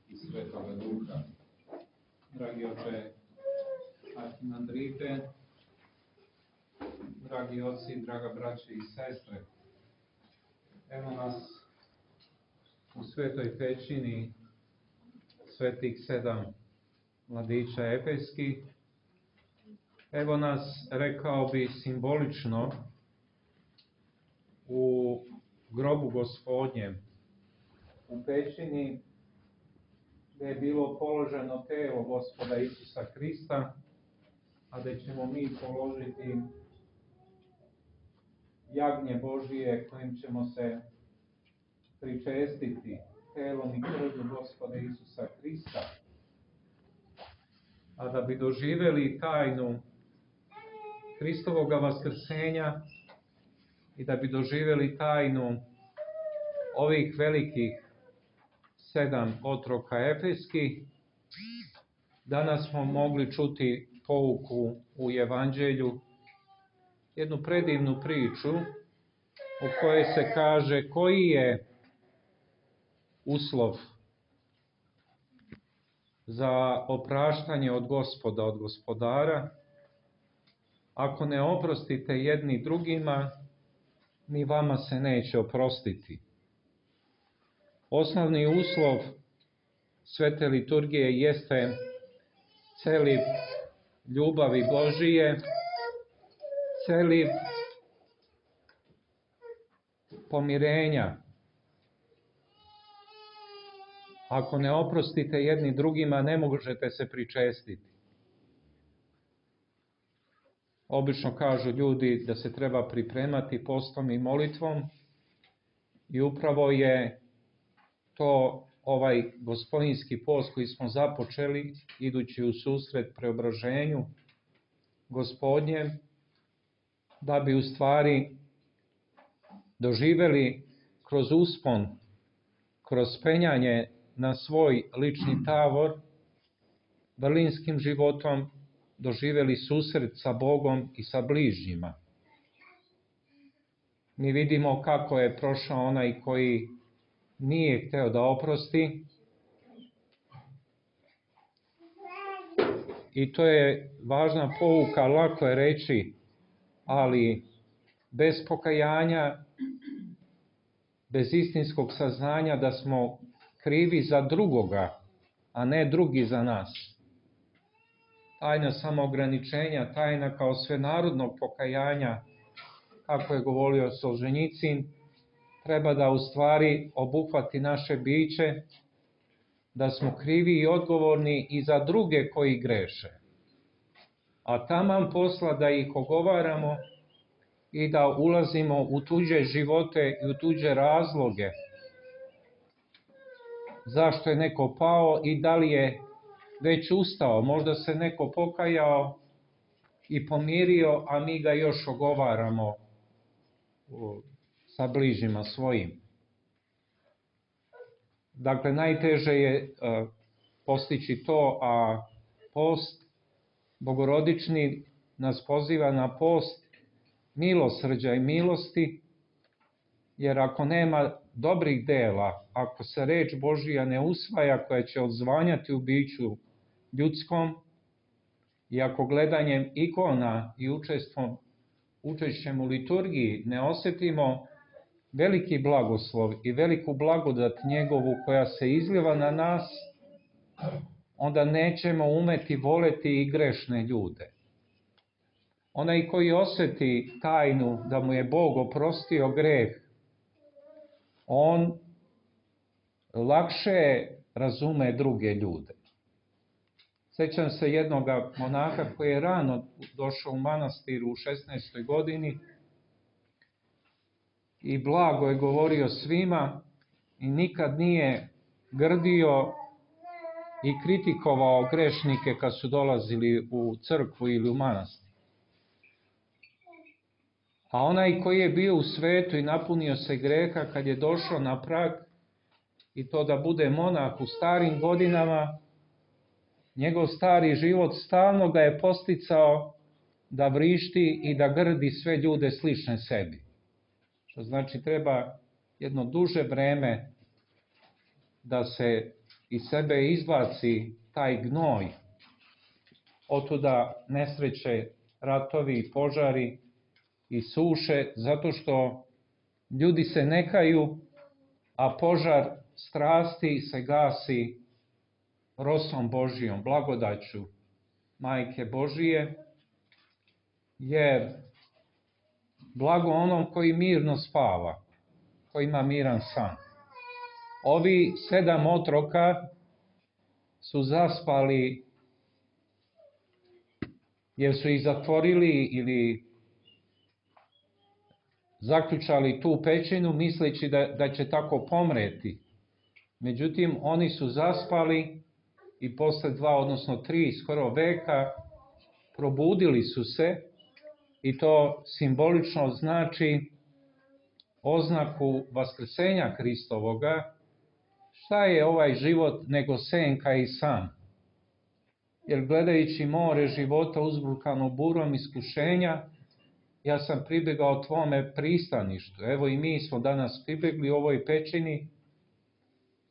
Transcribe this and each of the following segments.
i Svetoga Duha. Dragi oče Arhimandrite, dragi oci, draga braće i sestre, evo nas u svetoj pećini svetih 7 mladića efeskih. Evo nas, rekao bi, simbolično u grobu Gospodnjem, u pećini gdje je bilo položeno telo Gospoda Isusa Hrista, a gdje ćemo mi položiti jagnje Božije kojim ćemo se pričestiti telom i krvlju Gospoda Isusa Hrista. A da bi doživjeli tajnu Hristovoga vaskrsenja i da bi doživjeli tajnu ovih velikih 7 otroka efeskih, danas smo mogli čuti pouku u Evanđelju, jednu predivnu priču u kojoj se kaže koji je uslov za opraštanje od Gospoda, od Gospodara. Ako ne oprostite jedni drugima, ni vama se neće oprostiti. Osnovni uslov svete liturgije jeste celiv ljubavi Božije, celiv pomirenja. Ako ne oprostite jedni drugima, ne možete se pričestiti. Obično kažu ljudi da se treba pripremati postom i molitvom i upravo je to ovaj gospodinski post koji smo započeli idući u susret preobraženju Gospodnjem, da bi u stvari doživjeli kroz uspon, kroz penjanje na svoj lični tavor, vrlinskim životom doživjeli susret sa Bogom i sa bližnjima. Mi vidimo kako je prošao onaj koji nije hteo da oprosti, i to je važna pouka, lako je reći, ali bez pokajanja, bez istinskog saznanja da smo krivi za drugoga, a ne drugi za nas. Tajna samoograničenja, tajna kao svenarodnog pokajanja, kako je govorio Solženjicin, treba da u stvari obuhvati naše biće, da smo krivi i odgovorni i za druge koji greše. A taman posla da ih ogovaramo i da ulazimo u tuđe živote i u tuđe razloge. Zašto je neko pao i da li je već ustao, možda se neko pokajao i pomirio, a mi ga još ogovaramo sa bližnjima svojim. Dakle, najteže je postići to, a post bogorodični nas poziva na post milosrđa i milosti, jer ako nema dobrih dela, ako se reč Božija ne usvaja koja će odzvanjati u biću ljudskom, i ako gledanjem ikona i učešćem u liturgiji ne osjetimo veliki blagoslov i veliku blagodat njegovu koja se izliva na nas, onda nećemo umeti voleti i grešne ljude. Onaj koji osjeti tajnu da mu je Bog oprostio greh, on lakše razume druge ljude. Sjećam se jednog monaha koji je rano došao u manastir u 16. godini i blago je govorio svima i nikad nije grdio i kritikovao grešnike kad su dolazili u crkvu ili u manastir. A onaj koji je bio u svetu i napunio se greha, kad je došao na prag i to da bude monah u starim godinama, njegov stari život stalno ga je posticao da vrišti i da grdi sve ljude slične sebi. Što znači treba jedno duže vreme da se iz sebe izbaci taj gnoj. Otuda nesreće, ratovi, požari i suše, zato što ljudi se ne kaju, a požar strasti se gasi rosom Božijom, blagodaću Majke Božije, jer blago onom koji mirno spava, koji ima miran san. Ovi 7 otroka su zaspali jer su ih zatvorili ili zaključali tu pećinu misleći da će tako pomreti. Međutim, oni su zaspali i posle 2, odnosno 3 skoro veka probudili su se, i to simbolično znači oznaku vaskrsenja Hristovoga. Šta je ovaj život nego senka i san? Jer gledajući more života uzburkano burom iskušenja, ja sam pribegao tvome pristaništu. Evo i mi smo danas pribegli ovoj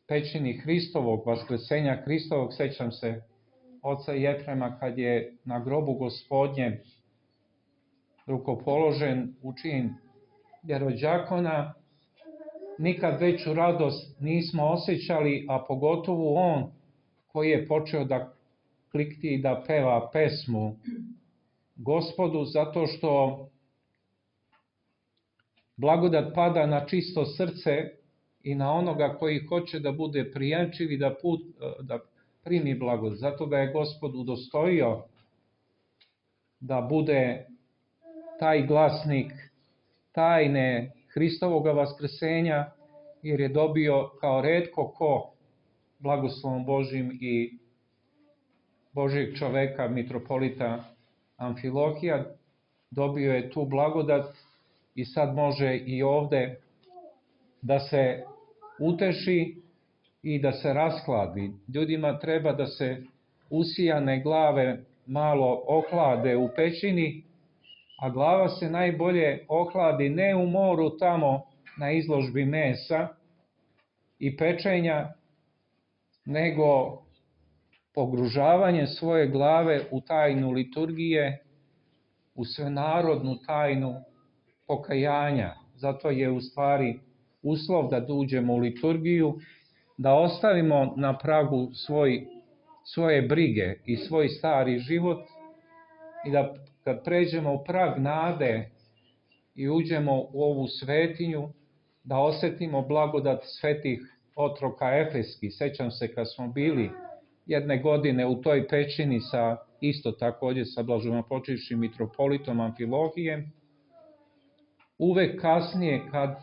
pećini Hristovog, vaskrsenja Hristovog. Sećam se oca Jefrema kad je na grobu Gospodnjem rukopoložen u čin jerođakona. Nikad veću radost nismo osjećali, a pogotovo on koji je počeo da klikti i da peva pesmu Gospodu, zato što blagodat pada na čisto srce i na onoga koji hoće da bude prijemčiv i da primi blagodat. Zato ga je Gospod udostojio da bude taj glasnik tajne Hristovoga vaskrsenja, jer je dobio kao retko ko blagoslovom Božjim i Božjeg čoveka, mitropolita Amfilohija, dobio je tu blagodat i sad može i ovde da se uteši i da se raskladi. Ljudima treba da se usijane glave malo ohlade u pećini, a glava se najbolje ohladi ne u moru tamo na izložbi mesa i pečenja, nego pogružavanje svoje glave u tajnu liturgije, u svenarodnu tajnu pokajanja. Zato je u stvari uslov da uđemo u liturgiju, da ostavimo na pragu svoje brige i svoj stari život i da kad pređemo u prag nade i uđemo u ovu svetinju, da osetimo blagodat svetih otroka efeskih. Sećam se kad smo bili jedne godine u toj pećini isto takođe sa blaženopočivšim mitropolitom Amfilohijem. Uvek kasnije kad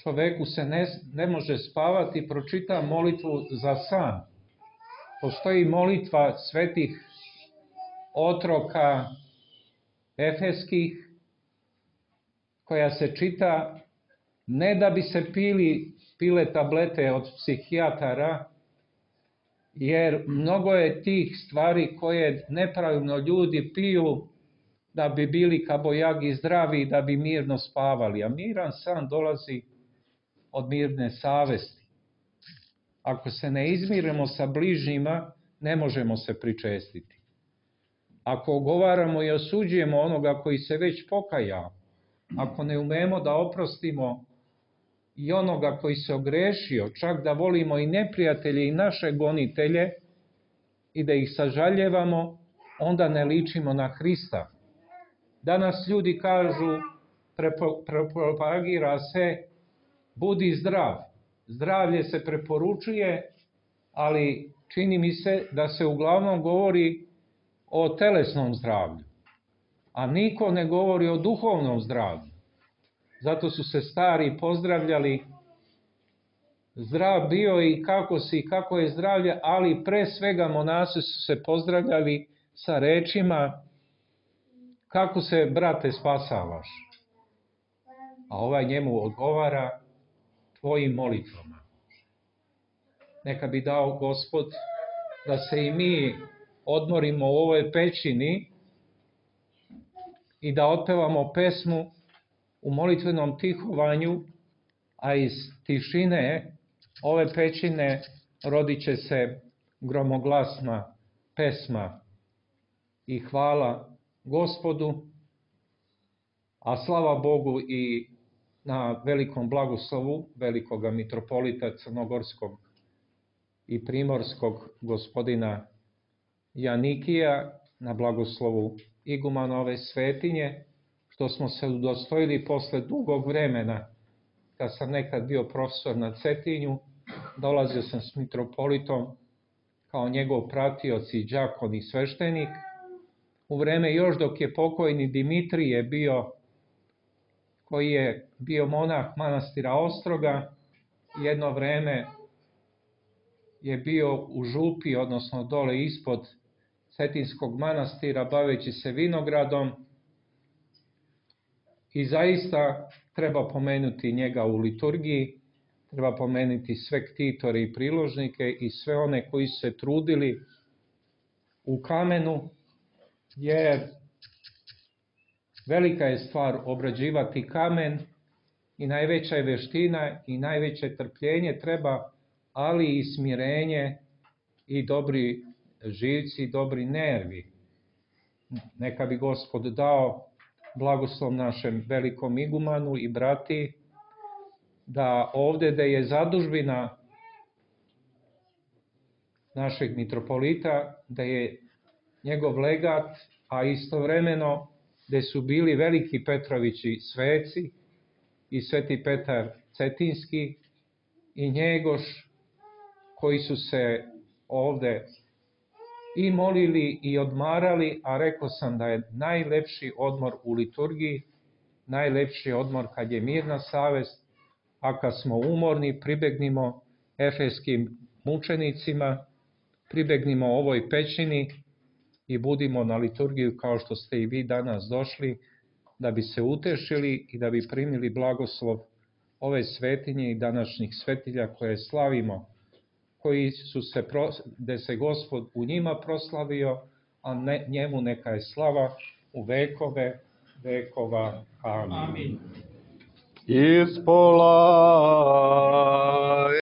čoveku se ne može spavati, pročita molitvu za san. Postoji molitva svetih otroka efeskih koja se čita ne da bi se pile tablete od psihijatara, jer mnogo je tih stvari koje nepravilno ljudi piju da bi bili kabojagi zdravi i da bi mirno spavali. A miran san dolazi od mirne savesti. Ako se ne izmirimo sa bližnjima, ne možemo se pričestiti. Ako ogovaramo i osuđujemo onoga koji se već pokajao, ako ne umemo da oprostimo i onoga koji se ogrešio, čak da volimo i neprijatelje i naše gonitelje i da ih sažaljevamo, onda ne ličimo na Hrista. Danas ljudi kažu, propagira se, budi zdrav. Zdravlje se preporučuje, ali čini mi se da se uglavnom govori o telesnom zdravlju, a niko ne govori o duhovnom zdravlju. Zato su se stari pozdravljali, zdrav bio i kako si, kako je zdravlje, ali pre svega monasi su se pozdravljali sa rečima kako se, brate, spasavaš. A ovaj njemu odgovara tvojim molitvama. Neka bi dao Gospod da se i mi odmorimo u ovoj pećini i da otpevamo pesmu u molitvenom tihovanju, a iz tišine ove pećine rodit će se gromoglasna pesma i hvala Gospodu, a slava Bogu i na velikom blagoslovu velikoga mitropolita crnogorskog i primorskog gospodina Janikija, na blagoslovu igumana ove svetinje, što smo se udostojili posle dugog vremena, kad sam nekad bio profesor na Cetinju, dolazio sam s mitropolitom kao njegov pratioc i đakon i sveštenik, u vreme još dok je pokojni Dimitrije bio, koji je bio monah manastira Ostroga, jedno vreme je bio u župi, odnosno dole ispod Cetinskog manastira, baveći se vinogradom, i zaista treba pomenuti njega u liturgiji, treba pomenuti sve ktitore i priložnike i sve one koji su se trudili u kamenu, jer velika je stvar obrađivati kamen i najveća je veština i najveće trpljenje treba, ali i smirenje i dobri živci i dobri nervi. Neka bi Gospod dao blagoslov našem velikom igumanu i brati, da ovde da je zadužbina našeg mitropolita, da je njegov legat, a istovremeno gde su bili veliki Petrovići sveci i sveti Petar Cetinski i Njegoš, koji su se ovde i molili i odmarali, a rekao sam da je najlepši odmor u liturgiji, najlepši odmor kad je mirna savest, a kad smo umorni pribegnimo efeskim mučenicima, pribegnimo ovoj pećini i budimo na liturgiju kao što ste i vi danas došli, da bi se utešili i da bi primili blagoslov ove svetinje i današnjih svetilja koje slavimo, koji su se, gde se Gospod u njima proslavio, a njemu neka je slava u vekove vekova. Amin. Ispola